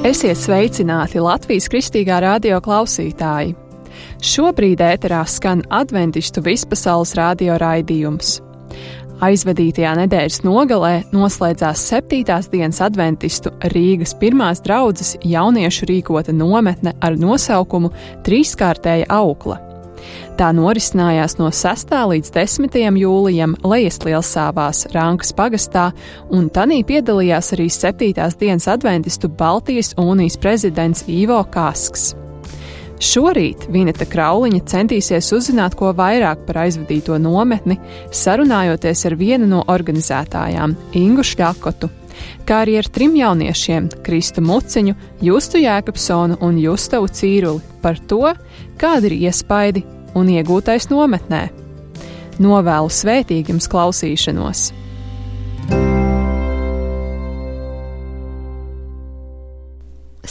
Esiet sveicināti Latvijas Kristīgā radio klausītāji! Šobrīd ēterā skan adventistu vispasaules radio raidījums. Aizvadītajā nedēļas nogalē noslēdzās 7. dienas adventistu Rīgas pirmās draudzes jauniešu rīkota nometne ar nosaukumu Trīskārtēja aukla. Tā norisinājās no 6. līdz 10. jūlijam Lejaslielsāvās Rankas pagastā, un tanī piedalījās arī 7. dienas adventistu Baltijas unijas prezidents Ivo Kasks. Šorīt Vineta Krauliņa centīsies uzzināt ko vairāk par aizvadīto nometni, sarunājoties ar vienu no organizētājām, Ingu Šļakotu, kā arī ar 3 jauniešiem, Kristu Muciņu, Justu Jēkabsonu un Justavu Cīruli, par to, kādi ir iespaidi un iegūtais nometnē. Novēlu svētīgu jums klausīšanos!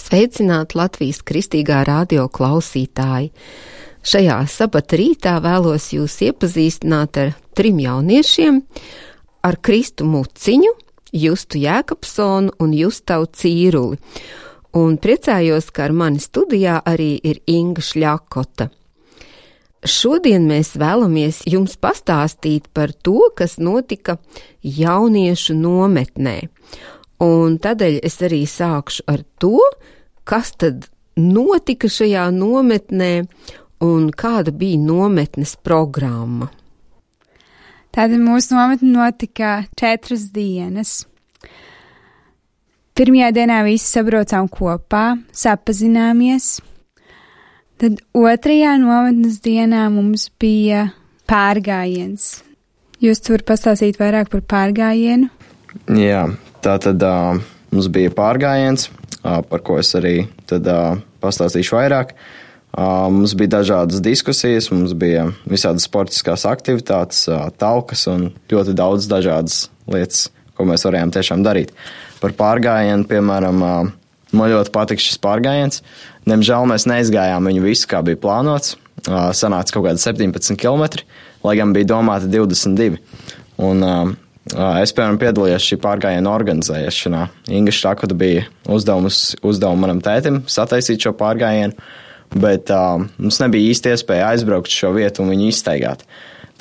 Sveicināti Latvijas Kristīgā radio klausītāji! Šajā sabata rītā vēlos jūs iepazīstināt ar 3 jauniešiem, ar Kristu Muciņu, Justu Jēkabsonu un Justavu Cīruli. Un priecājos, ka ar mani studijā arī ir Inga Šļakota. Šodien mēs vēlamies jums pastāstīt par to, kas notika jauniešu nometnē. Un tādēļ es arī sākšu ar to, kas tad notika šajā nometnē un kāda bija nometnes programma. Tātad mūsu nometne notika 4 dienas. Pirmajā dienā visi sabraucām kopā, sapazināmies. Tad 2. nometnes dienā mums bija pārgājiens. Jūs tur pastāstīt vairāk par pārgājienu? Jā, tātad mums bija pārgājiens, par ko es arī tad pastāstīšu vairāk. Mums bija dažādas diskusijas, mums bija visādas sportiskās aktivitātes, talkas un ļoti daudz dažādas lietas, ko mēs varējām tiešām darīt. Par pārgājienu, piemēram, man ļoti patika šis pārgājiens. Diemžēl mēs neizgājām viņu visu, kā bija plānots. Sanāca kaut kādi 17 kilometri, lai gan bija domāti 22. Un es, piemēram, piedalījos šī pārgājiena organizēšanā. Inga Šļakota bija uzdevumu manam tētim sataisīt šo pārgājienu, bet mums nebija īsti iespēja aizbraukt šo vietu un viņu izstaigāt.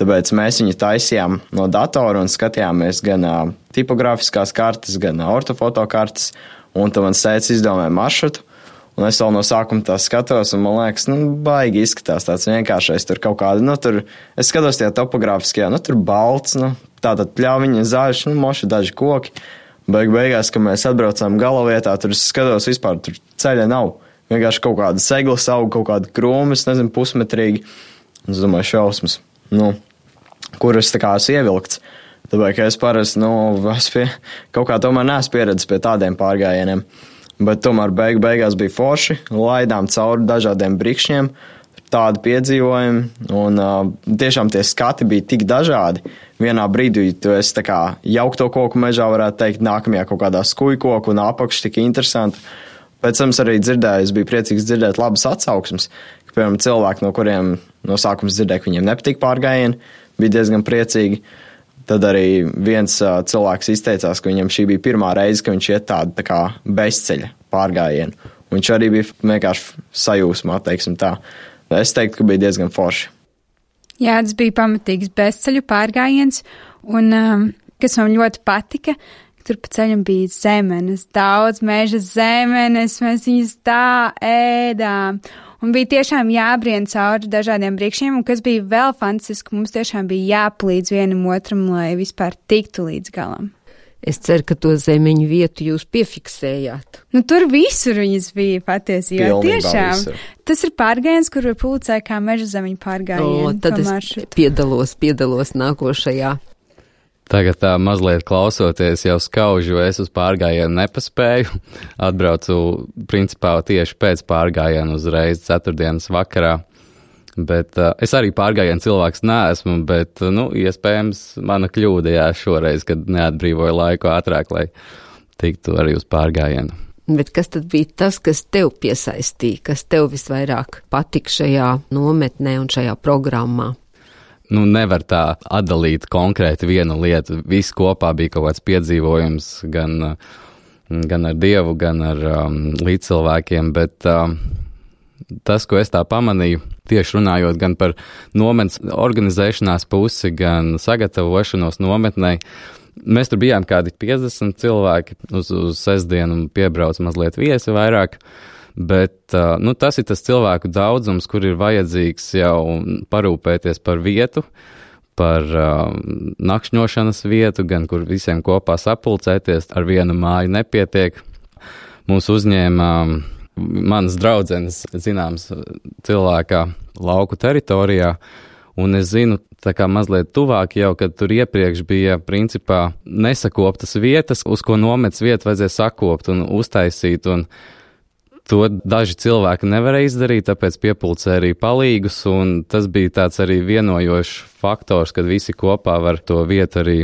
Tāpēc mēs viņu taisījām no datora un skatījāmies gan tipogrāfiskās kartes, gan ortofoto kartes, un tad man tētis izdomāja maršrutu. Un es vēl no sākuma tā skatos, un man liekas, baigi izskatās tāds vienkāršais, tur kaut kādi, tur, es skatos tajā topogrāfiskajā, tur balts, tātad pļāviņa, zaļš, moši daži koki. Beigās, kad mēs atbraucām galavietā, tur es skatos vispār, tur ceļa nav. Vienkārši kaut kāda seglas aug, kaut kāda krūma, es nezinu, pusmetrīgi. Un es domāju, šausmas, kur es tā kā esmu ievilkts. Tāpēc, ka es parasti, kaut kā tomēr neesmu pieredzis pie tādiem pārgājieniem. Bet tomēr beigās bija forši, laidām cauri dažādiem brikšņiem, tādi piedzīvojumi, un tiešām tie skati bija tik dažādi. Vienā brīdī tu esi tā kā jaukto koku mežā, varētu teikt, nākamajā kaut kādā skujkoku, un apakš tik interesanti. Pēc tam es arī dzirdēju, es biju priecīgs dzirdēt labas atsauksmes, ka, piemēram, cilvēki, no kuriem no sākuma dzirdēju, ka viņiem nepatīk pārgājieni, bija diezgan priecīgi. Tad arī viens cilvēks izteicās, ka viņam šī bija pirmā reize, ka viņš iet tādu tā kā bezceļa pārgājienu. Viņš arī bija vienkārši sajūsmā, teiksim tā. Es teiktu, ka bija diezgan forši. Jā, tas bija pamatīgs bezceļu pārgājiens, un kas man ļoti patika, tur pa ceļam bija zemenes, daudz meža zemenes, mēs viņas tā ēdām. Un bija tiešām jābrien cauri dažādiem brikšņiem, un kas bija vēl fantastiski, mums tiešām bija jāpalīdz vienam otram, lai vispār tiktu līdz galam. Es ceru, ka to zemeņu vietu jūs piefiksējāt. Tur visur viņas bija patiesībā. Tiešām. Visur. Tas ir pārgājiens, kur var pulcēt kā meža zemeņu pārgājienu. Tad es piedalos nākošajā. Tagad mazliet klausoties jau skaužu, es uz pārgājienu nepaspēju. Atbraucu principā tieši pēc pārgājienu uzreiz 4. vakarā. Bet es arī pārgājienu cilvēks neesmu, bet, iespējams mana kļūda šoreiz, kad neatbrīvoju laiku ātrāk, lai tiktu arī uz pārgājienu. Bet kas tad bija tas, kas tev piesaistīja, kas tev visvairāk patika šajā nometnē un šajā programmā? Nevar tā atdalīt konkrēti vienu lietu. Viss kopā bija kaut kāds piedzīvojums, gan gan ar Dievu, gan ar līdzcilvēkiem, bet tas, ko es tā pamanīju, tieši runājot gan par nometnes organizēšanās pusi, gan sagatavošanos nometnei, mēs tur bijām kādi 50 cilvēki uz sestdienu un piebrauc mazliet viesi vairāk, bet tas ir tas cilvēku daudzums, kur ir vajadzīgs jau parūpēties par vietu, par nakšņošanas vietu, gan kur visiem kopā sapulcēties, ar vienu māju nepietiek. Mūs uzņēma manas draudzenes, zināms, cilvēkā lauku teritorijā, un es zinu, tā kā mazliet tuvāk jau, kad tur iepriekš bija principā nesakoptas vietas, uz ko nometnes vietu vajadzēja sakopt un uztaisīt, un to daži cilvēki nevarēja izdarīt, tāpēc piepulcē arī palīgus, un tas bija tāds arī vienojošs faktors, kad visi kopā var to vietu arī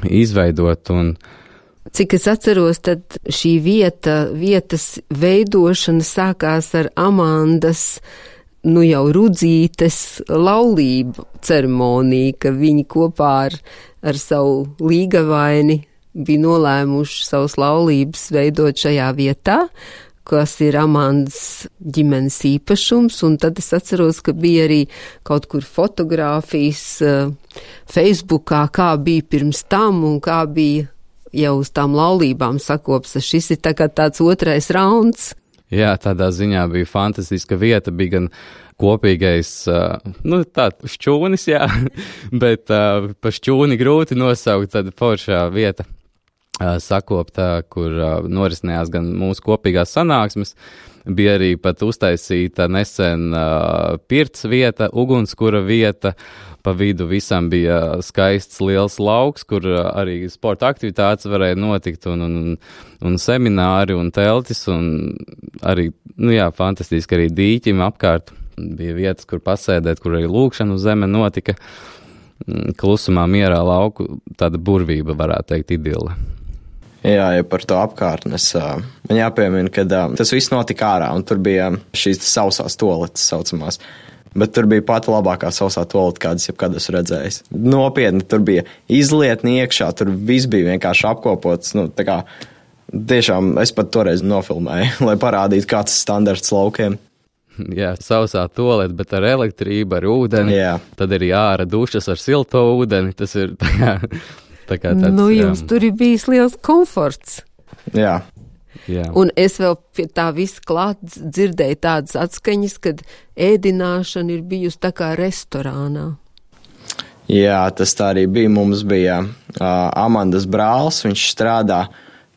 izveidot. Un cik es atceros, tad šī vietas veidošana sākās ar Amandas, jau Rudzītes laulību ceremoniju, ka viņi kopā ar savu līgavaini bija nolēmuši savus laulības veidot šajā vietā, kas ir Amandas ģimenes īpašums, un tad es atceros, ka bija arī kaut kur fotogrāfijas Facebookā, kā bija pirms tam un kā bija jau uz tām laulībām sakops. Šis ir tāds otrais rauns. Jā, tādā ziņā bija fantastiska vieta, bija gan kopīgais, šķūnis, jā, bet pa šķūni grūti nosaukt, tad foršā vieta sakoptā, kur norisinājās gan mūsu kopīgās sanāksmes, bija arī pat uztaisīta nesen pirts vieta, ugunskura vieta, pa vidu visam bija skaists liels lauks, kur arī sporta aktivitātes varēja notikt, un semināri, un teltis, un arī, fantastiski arī dīķim apkārt. Bija vietas, kur pasēdēt, kur arī lūkšana uz zeme notika. Klusumā, mierā lauku, tāda burvība, varētu teikt, idila. Jā, ja par to apkārtnes. Man jāpiemina, ka tas viss notika ārā, un tur bija šīs sausās toaletes saucamās. Bet tur bija pati labākā sausā toalete, kādas jebkad esmu redzējis. Nopietni, tur bija izlietni iekšā, tur viss bija vienkārši apkopots. Tiešām es pat toreiz nofilmēju, lai parādītu, kāds ir standarts laukiem. Jā, sausā toalete, bet ar elektrību, ar ūdeni. Jā. Tad arī ārā dušas ar silto ūdeni. Tas ir tā kā tāds. Jums tur ir bijis liels komforts. Jā. Un es vēl pie tā visa klāt dzirdēju tādas atskaņas, kad ēdināšana ir bijusi tā kā restorānā. Jā, tas tā arī bija. Mums bija Amandas brālis, viņš strādā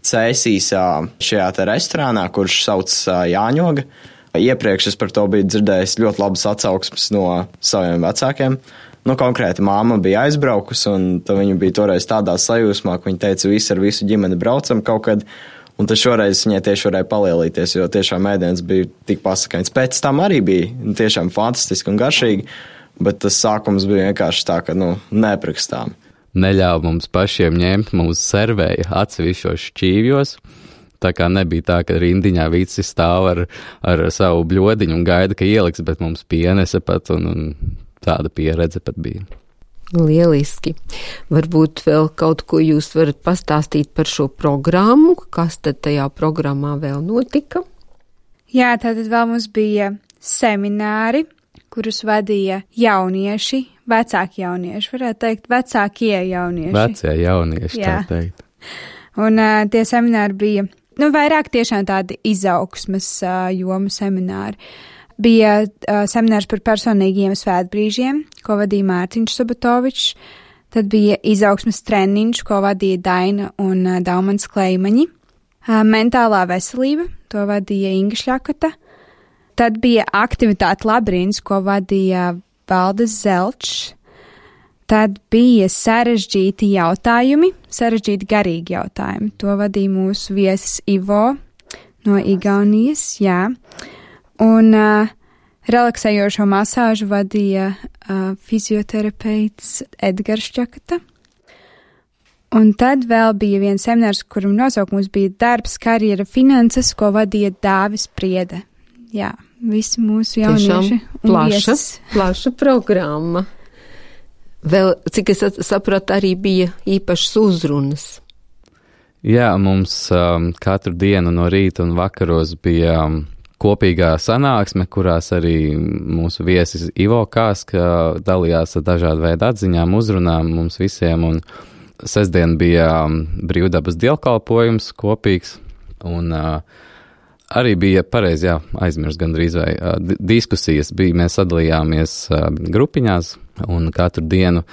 Cēsīs šajā te restorānā, kurš sauc Jāņoga. Iepriekš es par to biju dzirdējis ļoti labas atsauksmes no saviem vecākiem. Konkrēti māma bija aizbraukusi, un viņa bija toreiz tādā sajūsmā, ka viņa teica, visi ar visu ģimeni braucam kaut kad. Un tad šoreiz viņai tieši varēja palielīties, jo tiešām ēdiens bija tik pasakains. Pēc tam arī bija tiešām fantastiski un garšīgi, bet tas sākums bija vienkārši tā, ka, neprakstām. Neļāva mums pašiem ņemt, mums servēja atsevišķos šķīvjos. Tā kā nebija tā, ka rindiņā visi stāv ar savu bļodiņu un gaida, ka ieliks, bet mums pienesa pat un tāda pieredze pat bija. Lieliski. Varbūt vēl kaut ko jūs varat pastāstīt par šo programmu, kas tad tajā programmā vēl notika? Jā, tātad vēl mums bija semināri, kurus vadīja jaunieši, vecāki jaunieši, varētu teikt, vecākie jaunieši. Vecie jaunieši, jā. Tā teikt. Un tie semināri bija, vairāk tiešām tādi izaugsmes jomu semināri. Bija seminārs par personīgiem svētbrīžiem, ko vadīja Mārtiņš Subatovičs. Tad bija izaugsmes treniņš, ko vadīja Daina un Daumans Kleimaņi. Mentālā veselība, to vadīja Inga Šļakota. Tad bija aktivitāte labirints, ko vadīja Valdes Zelčs. Tad bija sarežģīti jautājumi, sarežģīti garīgi jautājumi. To vadīja mūsu viesis Ivo no Igaunijas, jā. Un relaksējošo masāžu vadīja fizioterapeits Edgars Šļakota. Un tad vēl bija viens seminārs, kuram nosaukums bija darbs, karjera, finanses, ko vadīja Dāvis Priede. Jā, visi mūsu jaunieši un viesis. Plaša programma. Vēl, cik es sapratu, arī bija īpašas uzrunas. Jā, mums katru dienu no rīta un vakaros bija kopīgā sanāksme, kurās arī mūsu viesis Ivo Kāska dalījās ar dažādu veidu atziņām, uzrunām mums visiem, un sestdien bija brīvdabas dievkalpojums kopīgs, un arī bija pareizi, aizmirst gandrīz vai diskusijas bija, mēs sadalījāmies grupiņās, un katru dienu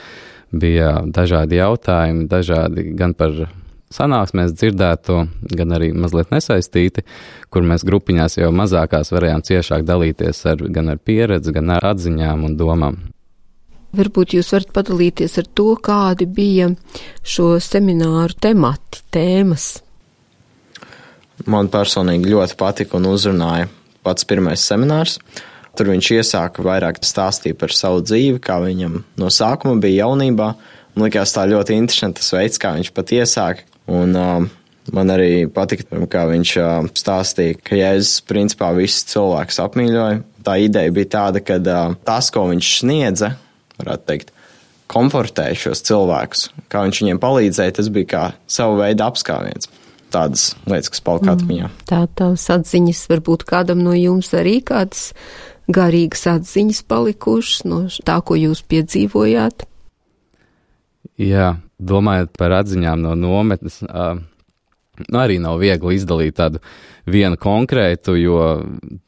bija dažādi jautājumi, dažādi gan par sanāksmēs dzirdēto, gan arī mazliet nesaistīti, kur mēs grupiņās jau mazākās varējām ciešāk dalīties gan ar pieredzi, gan ar atziņām un domām. Varbūt jūs varat padalīties ar to, kādi bija šo semināru temati, tēmas. Man personīgi ļoti patika un uzrunāja pats pirmais seminārs. Tur viņš iesāka vairāk stāstīt par savu dzīvi, kā viņam no sākuma bija jaunībā. Man likās tā ļoti interesanti tas veids, kā viņš pat iesāka. Un man arī patika, kā viņš stāstīja, ka Jēzus principā visus cilvēkus apmīļoja. Tā ideja bija tāda, ka tas, ko viņš sniedza, varētu teikt, komfortēja šos cilvēkus. Kā viņš viņiem palīdzēja, tas bija kā savu veidu apskāviens. Tādas lietas, kas palika atmiņā. Tās atziņas varbūt kādam no jums arī kādas garīgas atziņas palikušas no tā, ko jūs piedzīvojāt? Jā, domājot par atziņām no nometnes, arī nav viegli izdalīt tādu vienu konkrētu, jo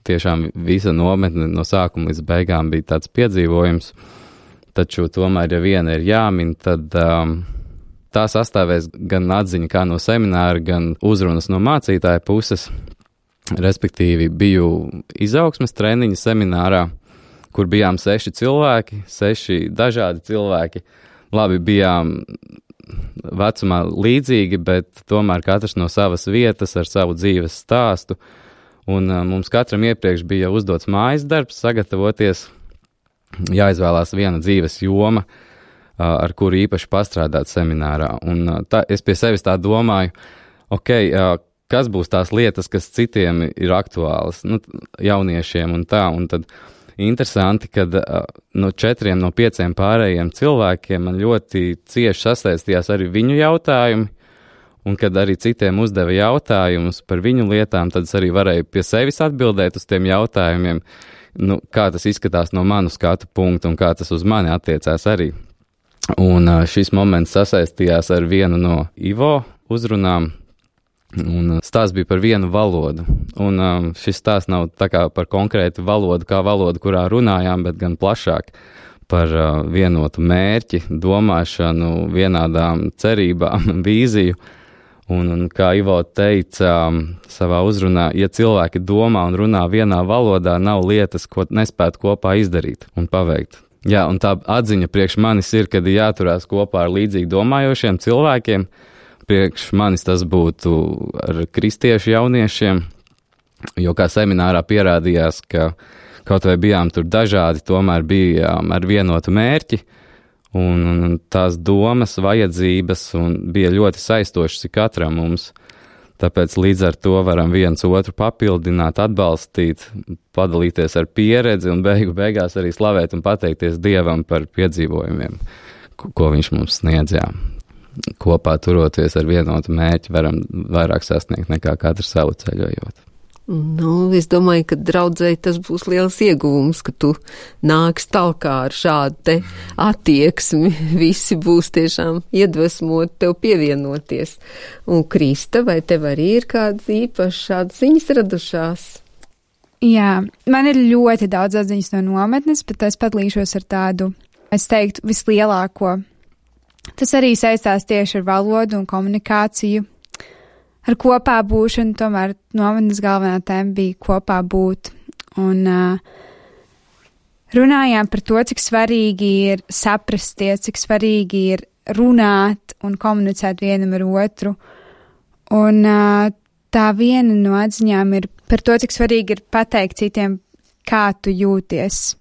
tiešām visa nometne no sākuma līdz beigām bija tāds piedzīvojums, taču tomēr, ja viena ir jāmin, tad tā sastāvēs gan atziņa kā no semināra, gan uzrunas no mācītāja puses, respektīvi biju izaugsmes treniņa seminārā, kur bijām 6 cilvēki, 6 dažādi cilvēki. Labi, bijām vecumā līdzīgi, bet tomēr katrs no savas vietas ar savu dzīves stāstu. Un mums katram iepriekš bija uzdots mājas darbs, sagatavoties, jāizvēlās viena dzīves joma, ar kuru īpaši pastrādāt seminārā. Un es pie sevis tā domāju, kas būs tās lietas, kas citiem ir aktuālas, jauniešiem un tā, un tad interesanti, kad no 4 no 5 pārējiem cilvēkiem man ļoti cieši sasaistījās arī viņu jautājumi, un kad arī citiem uzdeva jautājumus par viņu lietām, tad es arī varēju pie sevis atbildēt uz tiem jautājumiem, kā tas izskatās no manu skatu punktu un kā tas uz mani attiecās arī. Un šis moments sasaistījās ar vienu no Ivo uzrunām, un stāsts bija par vienu valodu. Un šis stāsts nav tā kā par konkrētu valodu, kā valodu, kurā runājām, bet gan plašāk par vienotu mērķi, domāšanu, vienādām cerībām, vīziju. Un kā Ivo teica savā uzrunā, ja cilvēki domā un runā vienā valodā, nav lietas, ko nespētu kopā izdarīt un paveikt. Jā, un tā atziņa priekš manis ir, kad jāturās kopā ar līdzīgi domājošiem cilvēkiem. Priekš manis tas būtu ar kristiešu jauniešiem, jo kā seminārā pierādījās, ka kaut vai bijām tur dažādi, tomēr bijām ar vienotu mērķi, un tās domas, vajadzības bija ļoti saistošas katram mums. Tāpēc līdz ar to varam viens otru papildināt, atbalstīt, padalīties ar pieredzi un beigās arī slavēt un pateikties Dievam par piedzīvojumiem, ko viņš mums sniedz. Kopā turoties ar vienotu mērķi varam vairāk sasniegt nekā katrs savu ceļojot. Es domāju, ka draudzēji tas būs liels ieguvums, ka tu nāks talkā ar šādu te attieksmi. Visi būs tiešām iedvesmoti tev pievienoties. Un Krista, vai tev arī ir kādas īpašas šādas ziņas radušās? Jā, man ir ļoti daudz atziņas no nometnes, bet es padalīšos ar tādu, es teiktu, vislielāko. Tas arī saistās tieši ar valodu un komunikāciju, ar kopā būšanu, tomēr nometnes galvenā tēma bija kopā būt. Un runājām par to, cik svarīgi ir saprasties, cik svarīgi ir runāt un komunicēt vienam ar otru. Un tā viena no atziņām ir par to, cik svarīgi ir pateikt citiem, kā tu jūties.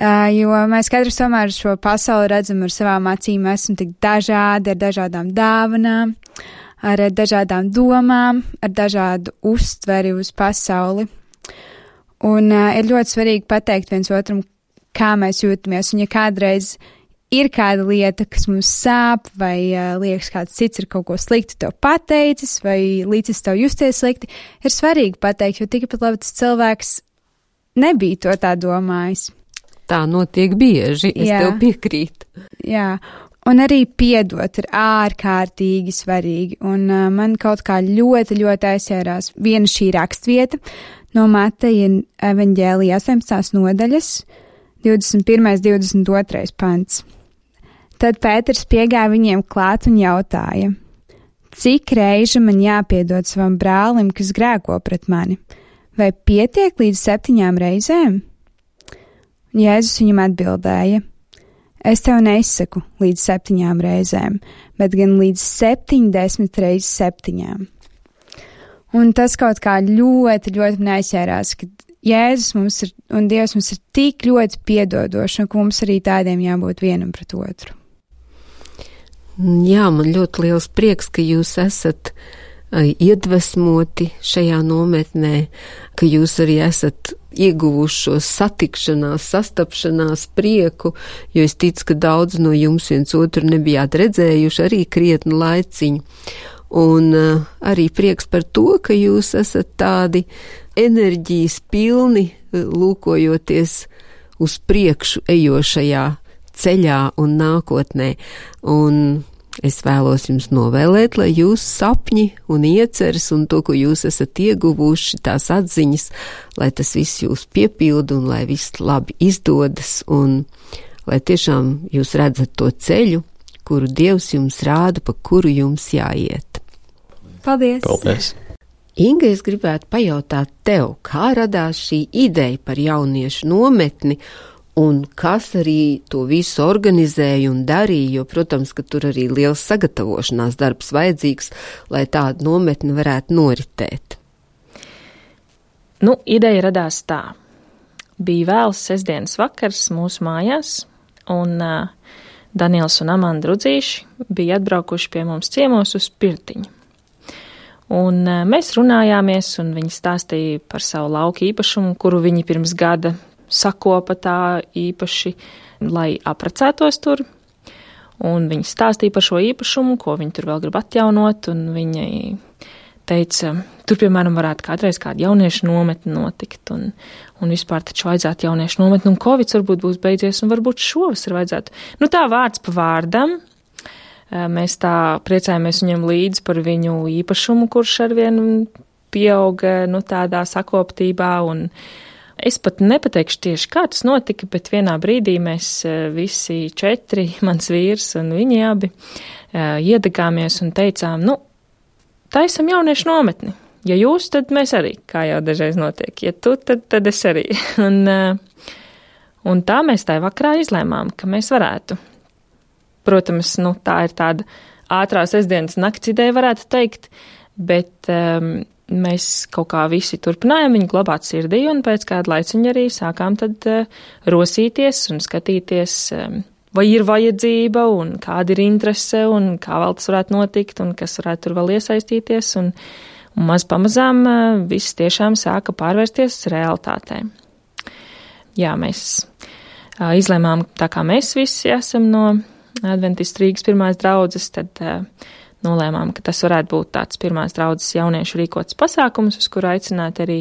Jo mēs katrs tomēr šo pasauli redzam ar savām acīm, esam tik dažādi, ar dažādām dāvanām, ar dažādām domām, ar dažādu uztveri uz pasauli. Un ir ļoti svarīgi pateikt viens otram, kā mēs jūtamies, un ja kādreiz ir kāda lieta, kas mums sāp, vai liekas, kāds cits ir kaut ko sliktu tev pateicis, vai līdzis tev justies slikti, ir svarīgi pateikt, jo tikpat labi tas cilvēks nebija to tā domājis. Tā notiek bieži, es tev piekrītu. Jā, un arī piedot ir ārkārtīgi svarīgi, un man kaut kā ļoti, ļoti aizsērās viena šī rakstvieta no Mateja evaņģēlija 18. nodaļas, 21. 22. pants. Tad Pēters piegāja viņiem klāt un jautāja, cik reižu man jāpiedod savam brālim, kas grēko pret mani? Vai pietiek līdz 7 reizēm? Un Jēzus viņam atbildēja, es tev neizsaku līdz 7 reizēm, bet gan līdz 70 reizes 7. Un tas kaut kā ļoti, ļoti man aizķērās, ka Jēzus mums ir un Dievs mums ir tik ļoti piedodoši, un ka mums arī tādiem jābūt vienam pret otru. Jā, man ļoti liels prieks, ka jūs esat iedvesmoti šajā nometnē, ka jūs arī esat ieguvuši šo satikšanās, sastapšanās prieku, jo es ticu, ka daudz no jums viens otru nebijāt redzējuši arī krietnu laiciņu. Un arī prieks par to, ka jūs esat tādi enerģijas pilni, lūkojoties uz priekšu ejošajā ceļā un nākotnē. Un es vēlos jums novēlēt, lai jūs sapņi un ieceres un to, ko jūs esat ieguvuši, tās atziņas, lai tas viss jūs piepilda un lai viss labi izdodas un lai tiešām jūs redzat to ceļu, kuru Dievs jums rāda, pa kuru jums jāiet. Paldies! Paldies! Inga, es gribētu pajautāt tev, kā radās šī ideja par jauniešu nometni un kas arī to visu organizēja un darīja, jo, protams, ka tur arī liels sagatavošanās darbs vajadzīgs, lai tāda nometne varētu noritēt. Ideja radās tā. Bija vēls sestdienas vakars mūsu mājās, un Daniels un Amanda Rudzīši bija atbraukuši pie mums ciemos uz pirtiņu. Un mēs runājāmies, un viņi stāstīja par savu lauku īpašumu, kuru viņi pirms gada sakopa tā īpaši, lai aprecētos tur. Un viņi stāstīja par šo īpašumu, ko viņi tur vēl grib atjaunot, un viņi teica, tur, piemēram, varētu kādreiz kāda jauniešu nometne notikt, un vispār taču vajadzētu jauniešu nometni, un Covid varbūt būs beidzies, un varbūt šovasar vajadzētu. Tā vārds pa vārdam. Mēs tā priecājamies viņam līdzi par viņu īpašumu, kurš arvien pieauga tādā sakoptībā, un es pat nepateikšu tieši, kā tas notika, bet vienā brīdī mēs visi 4, mans vīrs un viņi abi, iedegāmies un teicām, taisam jauniešu nometni. Ja jūs, tad mēs arī, kā jau dažreiz notiek. Ja tu, tad es arī. Un tā mēs tajā vakarā izlēmām, ka mēs varētu. Protams, tā ir tāda ātrā sestdienas nakts ideja, varētu teikt, bet mēs kaut kā visi turpinājām viņu glabāt sirdī, un pēc kāda laiciņa arī sākām tad rosīties un skatīties, vai ir vajadzība, un kāda ir interese, un kā vēl tas varētu notikt, un kas varētu tur vēl iesaistīties, un maz pamazām viss tiešām sāka pārvērsties realitātē. Jā, mēs izlēmām, tā kā mēs visi esam no Adventistu Rīgas pirmās draudzes, tad nolēmām, ka tas varētu būt tāds pirmās draudzes jauniešu rīkots pasākums, uz kuru aicināt arī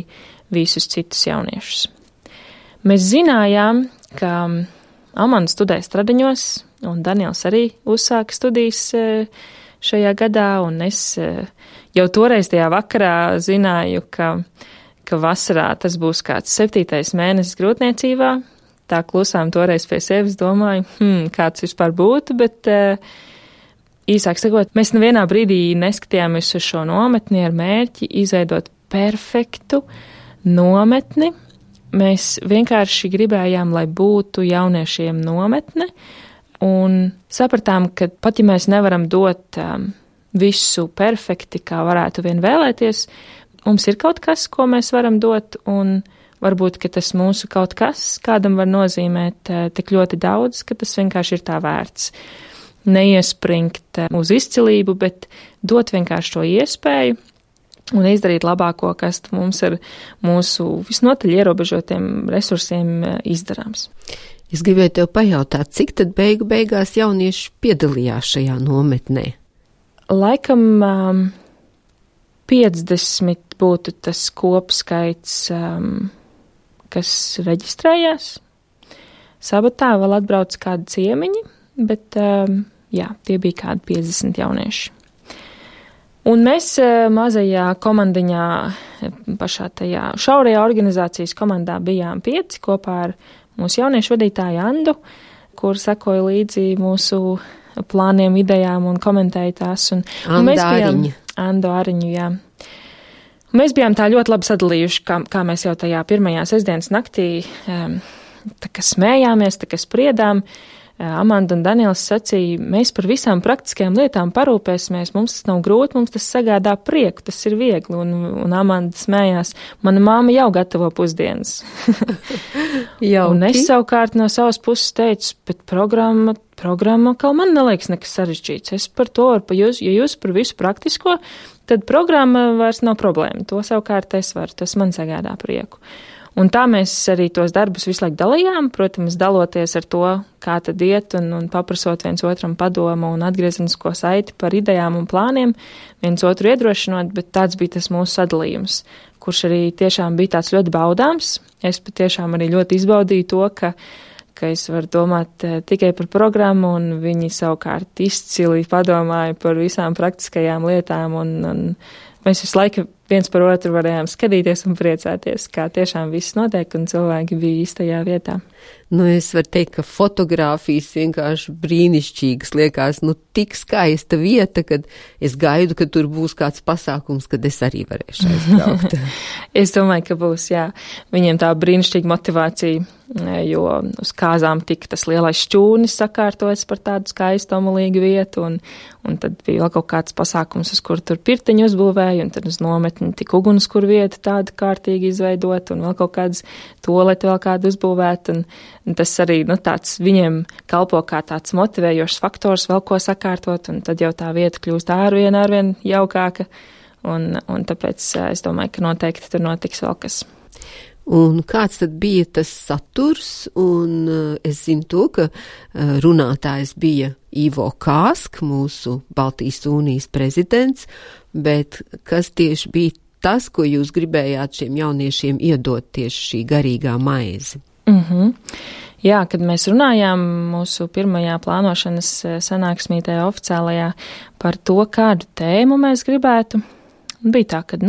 visus citus jauniešus. Mēs zinājām, ka Amanda studē Stradiņos, un Daniels arī uzsāka studijas šajā gadā, un es jau toreiz tajā vakarā zināju, ka vasarā tas būs kāds 7. mēnesis grūtniecībā. Tā klusām toreiz pie sevis domāju, kāds vispār būtu, bet īsāk sakot, mēs nevienā brīdī neskatījāmies uz šo nometni ar mērķi izveidot perfektu nometni. Mēs vienkārši gribējām, lai būtu jauniešiem nometne, un sapratām, ka pat ja mēs nevaram dot visu perfekti, kā varētu vien vēlēties, mums ir kaut kas, ko mēs varam dot, un varbūt, ka tas mūsu kaut kas kādam var nozīmēt tik ļoti daudz, ka tas vienkārši ir tā vērts. Neiespringt uz izcilību, bet dot vienkārši to iespēju un izdarīt labāko, kas mums ar mūsu visnotaļ ierobežotiem resursiem izdarāms. Es gribēju tev pajautāt, cik tad beigās jaunieši piedalījās šajā nometnē? Laikam 50 būtu tas kopskaits, kas reģistrējās. Sabatā vēl atbrauc kādi ciemiņi, bet tie bija kādi 50 jaunieši. Un mēs mazajā komandiņā, pašā tajā šaurajā organizācijas komandā bijām 5 kopā ar mūsu jauniešu vadītāju Andu, kur sekoja līdzi mūsu plāniem, idejām un komentēja tās. Un mēs bijām Andu Ariņu, jā. Un mēs bijām tā ļoti labi sadalījuši, kā mēs jau tajā pirmajā sestdienas naktī tā kā smējāmies, tā kā spriedām. Amanda un Daniels sacīja, mēs par visām praktiskajām lietām parūpēsimies, mums tas nav grūti, mums tas sagādā prieku, tas ir viegli, un Amanda smējās, mana māma jau gatavo pusdienas. Un es savukārt no savas puses teicu, bet programma, kā man neliekas nekas sarežģīts, es par to, ja jūs par visu praktisko, tad programma vairs nav problēma, to savukārt es varu, tas man sagādā prieku. Un tā mēs arī tos darbus visu laiku dalījām, protams, daloties ar to, kā tad iet un paprasot viens otram padomu un atgriezenisko saiti par idejām un plāniem, viens otru iedrošinot, bet tāds bija tas mūsu sadalījums, kurš arī tiešām bija tāds ļoti baudāms. Es patiešām arī ļoti izbaudīju to, ka es varu domāt tikai par programmu, un viņi savukārt izcili padomāja par visām praktiskajām lietām, un mēs visu laiku viens par otru varējām skatīties un priecāties, kā tiešām viss notiek un cilvēki bija īstajā vietā. Es varu teikt, ka fotogrāfijas vienkārši brīnišķīgas liekas, tik skaista vieta, kad es gaidu, ka tur būs kāds pasākums, kad es arī varēšu aizbraukt. Es domāju, ka būs, jā. Viņiem tā brīnišķīga motivācija, jo uz kāzām tika tas lielais šķūnis sakārtots par tādu skaistu omulīgu vietu, un tad bija vēl kaut kāds pasākums, uz kuru tur pirtiņu uzbūvēja, un tad uz nometni tika ugunskur vieta tāda kārtīgi izveidot, un vēl kaut kāds tualeti vēl kādu uzbūvēt, un tas arī, tāds viņiem kalpo kā tāds motivējošs faktors vēl ko sakārtot, un tad jau tā vieta kļūst arvien jaukāka, un tāpēc es domāju, ka noteikti tur notiks vēl kas. Un kāds tad bija tas saturs, un es zinu to, ka runātājs bija Ivo Kāsk, mūsu Baltijas Unijas prezidents, bet kas tieši bija tas, ko jūs gribējāt šiem jauniešiem iedot tieši šī garīgā maize? Jā, kad mēs runājām mūsu pirmajā plānošanas sanāksmītē oficiālajā par to, kādu tēmu mēs gribētu, bija tā, ka,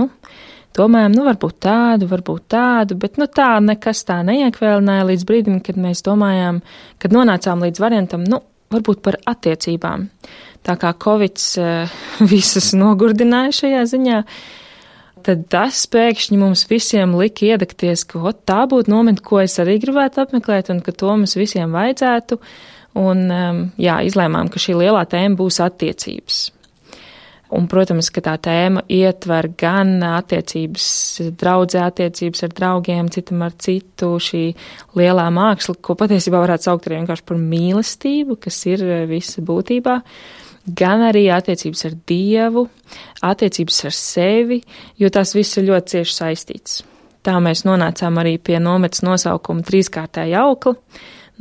domājam, varbūt tādu, bet tā nekas tā neiekvēlināja līdz brīdim, kad mēs domājām, kad nonācām līdz variantam, varbūt par attiecībām. Tā kā Covids visus nogurdināja šajā ziņā, tad tas pēkšņi mums visiem lika iedegties, ka tā būtu nometne, ko es arī gribētu apmeklēt, un ka to mums visiem vajadzētu. Un, izlēmām, ka šī lielā tēma būs attiecības. Un, protams, ka tā tēma ietver gan attiecības draudzē, attiecības ar draugiem, citam ar citu, šī lielā māksla, ko patiesībā varētu saukt arī vienkārši par mīlestību, kas ir visa būtībā, gan arī attiecības ar Dievu, attiecības ar sevi, jo tās viss ir ļoti cieši saistīts. Tā mēs nonācām arī pie nometnes nosaukuma trīskārtēja aukla,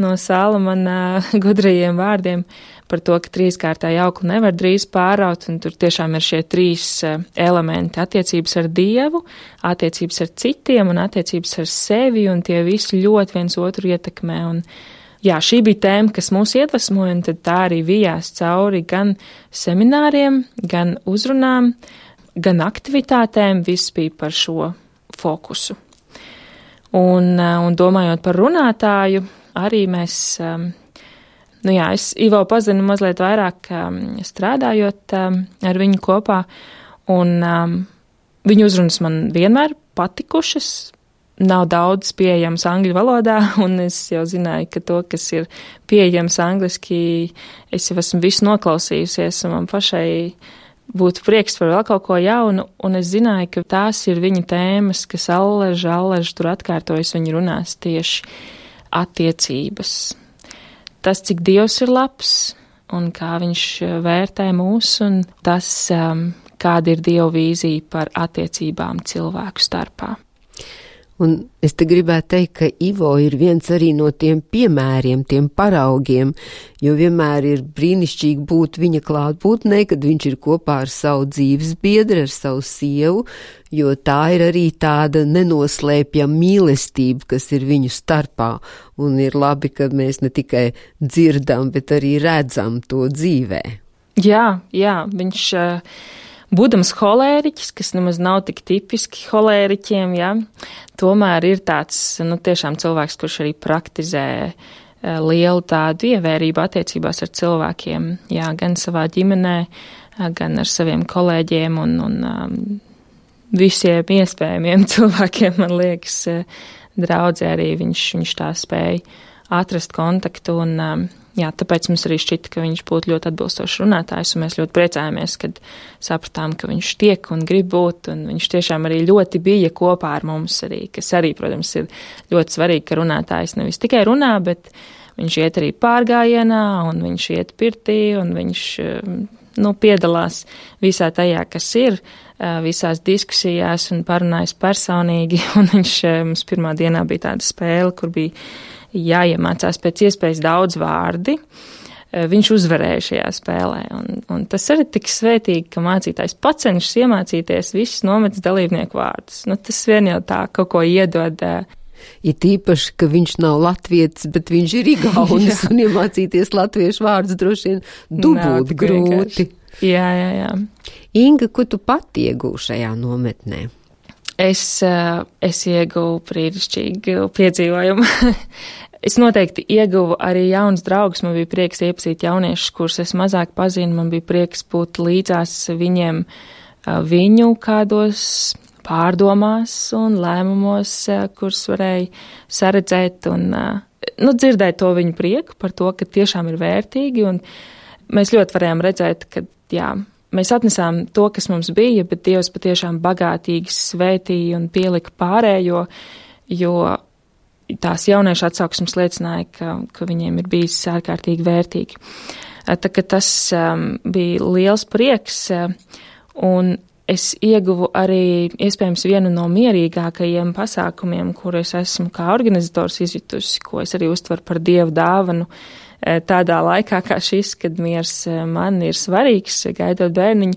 no Salamana gudrajiem vārdiem par to, ka trīskārtēja aukla nevar drīz pāraut, un tur tiešām ir šie 3 elementi - attiecības ar Dievu, attiecības ar citiem un attiecības ar sevi, un tie visi ļoti viens otru ietekmē. Un, šī bija tēma, kas mūs iedvesmoja, un tad tā arī vijās cauri gan semināriem, gan uzrunām, gan aktivitātēm, viss bija par šo fokusu. Un domājot par runātāju, arī mēs, es Ivo pazinu mazliet vairāk strādājot ar viņu kopā, un viņu uzrunas man vienmēr patikušas. Nav daudz pieejams angļu valodā, un es jau zināju, ka to, kas ir pieejams angliski, es jau esmu visu noklausījusies, un man pašai būtu prieks par vēl kaut ko jaunu, un es zināju, ka tās ir viņa tēmas, kas allež tur atkārtojas viņa runās tieši attiecības. Tas, cik Dievs ir labs, un kā viņš vērtē mūs, un tas, kāda ir Dieva vīzija par attiecībām cilvēku starpā. Un es te gribētu teikt, ka Ivo ir viens arī no tiem piemēriem, tiem paraugiem, jo vienmēr ir brīnišķīgi būt viņa klātbūtnē, kad viņš ir kopā ar savu dzīves biedru, ar savu sievu, jo tā ir arī tāda nenoslēpjama mīlestība, kas ir viņu starpā, un ir labi, ka mēs ne tikai dzirdam, bet arī redzam to dzīvē. Jā, viņš... Būdams holēriķis, kas nemaz nav tik tipiski holēriķiem, ja, tomēr ir tāds, tiešām cilvēks, kurš arī praktizē lielu tādu ievērību attiecībās ar cilvēkiem, jā, gan savā ģimenē, gan ar saviem kolēģiem un visiem iespējamiem cilvēkiem, man liekas, draudzē arī viņš tā spēja atrast kontaktu un, jā, tāpēc mums arī šķita, ka viņš būtu ļoti atbilstošs runātājs, un mēs ļoti priecājamies, kad sapratām, ka viņš tiek un grib būt, un viņš tiešām arī ļoti bija kopā ar mums arī, kas arī, protams, ir ļoti svarīgi, ka runātājs nevis tikai runā, bet viņš iet arī pārgājienā, un viņš iet pirtī, un viņš, piedalās visā tajā, kas ir, visās diskusijās un parunājas personīgi, un viņš mums pirmā dienā bija tāda spēle, kur bija jāiemācās pēc iespējas daudz vārdi. Viņš uzvarēja šajā spēlē, un tas arī tik svētīgi, ka mācītājs pacenšas iemācīties visus nometnes dalībnieku vārdus. Tas vien jau tā kaut ko iedod. Ir tīpaši, ka viņš nav latvietis, bet viņš ir igaunis, un iemācīties latviešu vārdus droši vien dubult grūti. Jā. Inga, ko tu pati iegūši šajā nometnē? Es ieguvu brīnišķīgu piedzīvojumu. Es noteikti ieguvu arī jaunus draugus. Man bija prieks iepazīt jauniešus, kurus es mazāk pazinu. Man bija prieks būt līdzās viņiem viņu kādos pārdomās un lēmumos, kurus varēja saredzēt un dzirdēt to viņu prieku par to, ka tiešām ir vērtīgi. Un mēs ļoti varējām redzēt, ka jā, mēs atnesām to, kas mums bija, bet Dievs patiešām bagātīgi svētīja un pielika pārējo, jo tās jauniešu atsauksmes liecināja, ka viņiem ir bijis ārkārtīgi vērtīgi. Tā ka tas bija liels prieks, un es ieguvu arī iespējams vienu no mierīgākajiem pasākumiem, kur es esmu kā organizators izjutusi, ko es arī uztveru par Dievu dāvanu, tādā laikā kā šis, kad miers man ir svarīgs, gaidot bērniņu,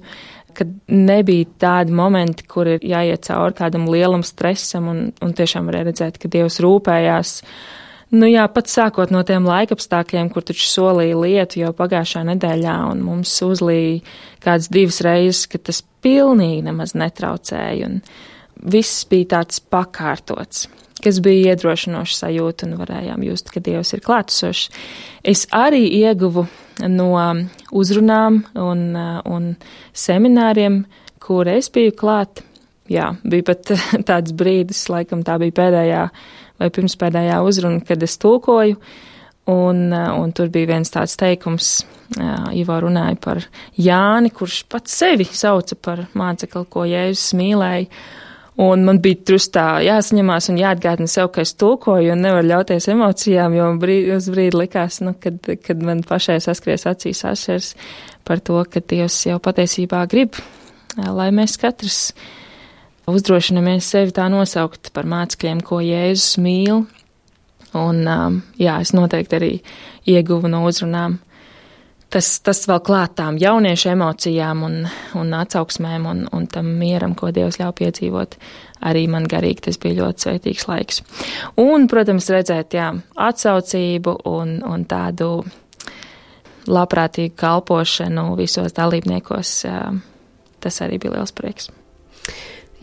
kad nebija tādi momenti, kur ir jāiet cauri kādam lielam stresam un tiešām varēja redzēt, ka Dievs rūpējās. Pat sākot no tiem laikapstākļiem, kur taču solīja lietu jau pagājušā nedēļā un mums uzlīja kādas 2 reizes, ka tas pilnīgi nemaz netraucēja un viss bija tāds pakārtots, kas bija iedrošinoši sajūta un varējām just, ka Dievs ir klātesošs. Es arī ieguvu no uzrunām un semināriem, kur es biju klāt. Jā, bija pat tāds brīdis, laikam tā bija pēdējā vai pirmspēdējā uzruna, kad es tulkoju, un tur bija viens tāds teikums, Ivo runāja par Jāni, kurš pats sevi sauca par mācekli, ko Jēzus mīlēja. Un man bija trustā jāsaņemās un jāatgādina sev, ka es tulkoju un nevaru ļauties emocijām, jo uz brīdi likās, kad man pašai saskries acīs ašers par to, ka Dievs jau patiesībā grib, lai mēs katrs uzdrošinamies sevi tā nosaukt par mācekļiem, ko Jēzus mīl. Un es noteikti arī ieguvu no uzrunām. Tas vēl klāt tām jauniešu emocijām un atsauksmēm un tam mieram, ko Dievs ļauj piedzīvot. Arī man garīgi tas bija ļoti svētīgs laiks. Un, protams, redzēt, atsaucību un tādu labprātīgu kalpošanu visos dalībniekos, tas arī bija liels prieks.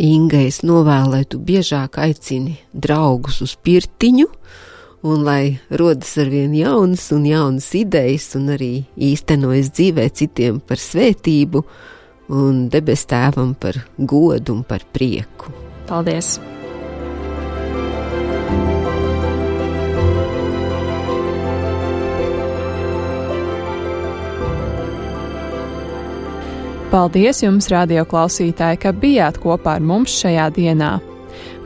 Inga, es novēlu, lai tu biežāk aicini draugus uz pirtiņu, un lai rodas arvien jaunas un jaunas idejas un arī īstenojas dzīvē citiem par svētību un debes tēvam par godu un par prieku. Paldies! Paldies jums, radio klausītāji, ka bijāt kopā ar mums šajā dienā.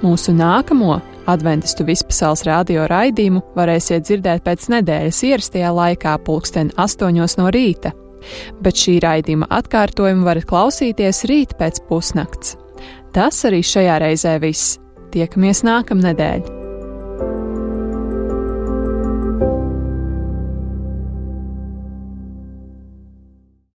Mūsu nākamo Adventistu Vispasaules radio raidījumu varēsiet dzirdēt pēc nedēļas ierastajā laikā 8:00 no rīta, bet šī raidījuma atkārtojumu varat klausīties rīt pēc pusnakts. Tas arī šajā reizē viss. Tiekamies nākamnedēļ!